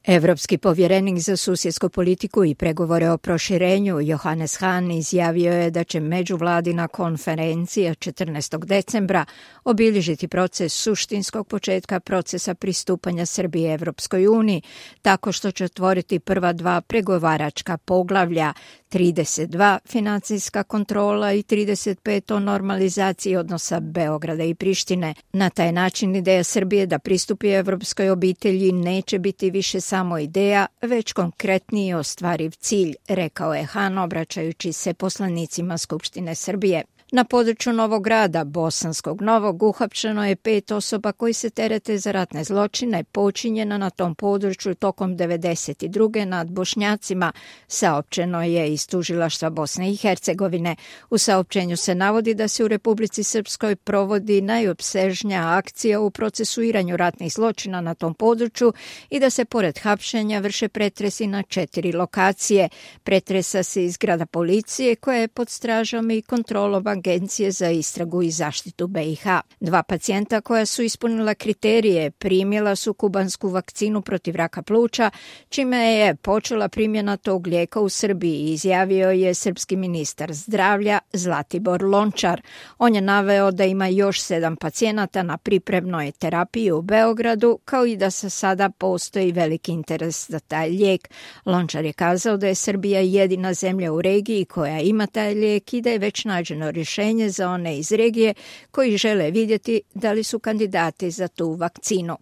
Evropski povjerenik za susjedsku politiku i pregovore o proširenju Johannes Hahn izjavio je da će međuvladina konferencija 14. decembra obilježiti proces suštinskog početka procesa pristupanja Srbije Evropskoj uniji, tako što će otvoriti prva dva pregovaračka poglavlja, 32 financijska kontrola i 35 o normalizaciji odnosa Beograda i Prištine. Na taj način ideja Srbije da pristupi evropskoj obitelji neće biti više samo ideja, već konkretniji ostvariv cilj, rekao je Hahn obraćajući se poslanicima Skupštine Srbije. Na području Novog Grada, Bosanskog Novog, uhapšeno je 5 osoba koji se terete za ratne zločine počinjena na tom području tokom 1992. nad Bošnjacima, saopćeno je iz tužilaštva Bosne i Hercegovine. U saopćenju se navodi da se u Republici Srpskoj provodi najopsežnija akcija u procesuiranju ratnih zločina na tom području i da se pored hapšenja vrše pretresi na 4 lokacije. Pretresa se iz zgrada policije koja je pod stražom i kontrolom Agencije za istragu i zaštitu BiH. 2 pacijenta koja su ispunila kriterije primjela su kubansku vakcinu protiv raka pluća, čime je počela primjena tog lijeka u Srbiji, izjavio je srpski ministar zdravlja Zlatibor Lončar. On je naveo da ima još 7 pacijenata na pripremnoj terapiji u Beogradu, kao i da sada postoji veliki interes za taj lijek. Lončar je kazao da je Srbija jedina zemlja u regiji koja ima taj lijek i da je već nađeno rješenje za one iz regije koji žele vidjeti da li su kandidati za tu vakcinu.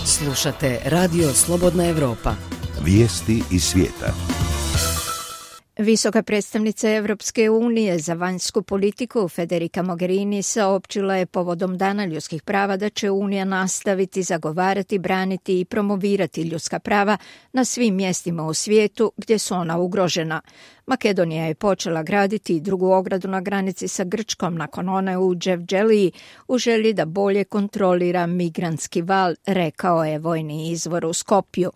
Slušate Radio Slobodna Evropa. Vijesti iz svijeta. Visoka predstavnica Evropske unije za vanjsku politiku Federica Mogherini saopćila je povodom Dana ljudskih prava da će Unija nastaviti zagovarati, braniti i promovirati ljudska prava na svim mjestima u svijetu gdje su ona ugrožena. Makedonija je počela graditi drugu ogradu na granici sa Grčkom nakon one u Dževđeliji u želji da bolje kontrolira migrantski val, rekao je vojni izvor u Skopju.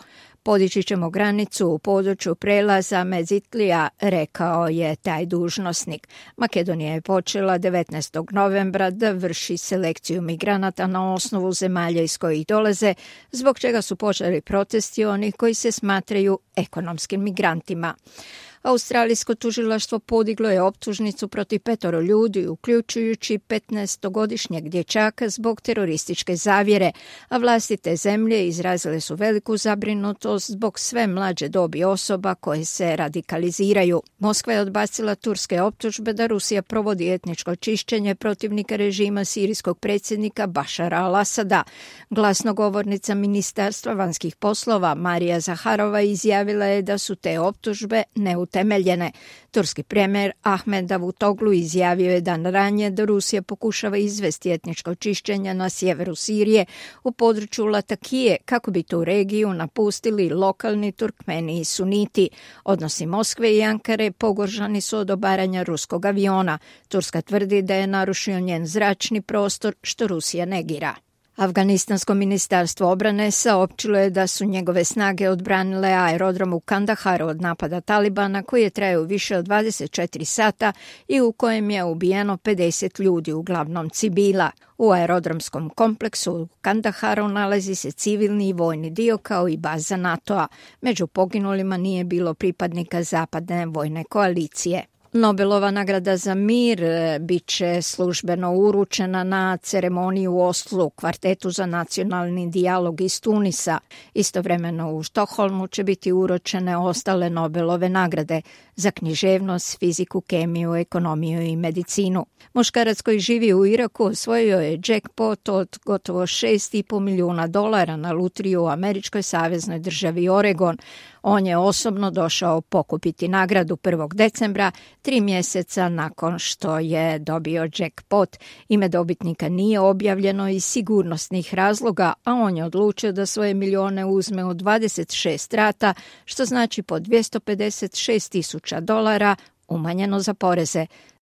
Podići ćemo granicu u području prelaza Mezitlija, rekao je taj dužnosnik. Makedonija je počela 19. novembra da vrši selekciju migranata na osnovu zemalja iz kojih dolaze, zbog čega su počeli protesti onih koji se smatraju ekonomskim migrantima. Australijsko tužilaštvo podiglo je optužnicu protiv 5 ljudi, uključujući 15-godišnjeg dječaka zbog terorističke zavjere, a vlasti te zemlje izrazile su veliku zabrinutost zbog sve mlađe dobi osoba koje se radikaliziraju. Moskva je odbacila turske optužbe da Rusija provodi etničko čišćenje protivnika režima sirijskog predsjednika Bašara al-Asada. Glasnogovornica Ministarstva vanjskih poslova Marija Zaharova izjavila je da su te optužbe neutemeljene. Turski premijer Ahmed Davutoglu izjavio je dan ranije da Rusija pokušava izvesti etničko čišćenje na sjeveru Sirije u području Latakije kako bi tu regiju napustili lokalni Turkmeni i Suniti. Odnosi Moskve i Ankare pogoršani su od obaranja ruskog aviona. Turska tvrdi da je narušio njen zračni prostor, što Rusija negira. Afganistansko ministarstvo obrane saopćilo je da su njegove snage odbranile aerodrom u Kandaharu od napada Talibana koji je trajao više od 24 sata i u kojem je ubijeno 50 ljudi, uglavnom civila. U aerodromskom kompleksu u Kandaharu nalazi se civilni i vojni dio kao i baza NATO-a. Među poginulima nije bilo pripadnika zapadne vojne koalicije. Nobelova nagrada za mir bit će službeno uručena na ceremoniji u Oslu kvartetu za nacionalni dijalog iz Tunisa. Istovremeno u Štokholmu će biti uručene ostale Nobelove nagrade za književnost, fiziku, kemiju, ekonomiju i medicinu. Muškarac koji živi u Iraku osvojio je jackpot od gotovo $6,5 milijuna na lutriju u američkoj saveznoj državi Oregon. On je osobno došao pokupiti nagradu 1. decembra, 3 mjeseca nakon što je dobio jackpot. Ime dobitnika nije objavljeno iz sigurnosnih razloga, a on je odlučio da svoje milijone uzme u 26 rata, što znači po $256,000, umanjeno za poreze.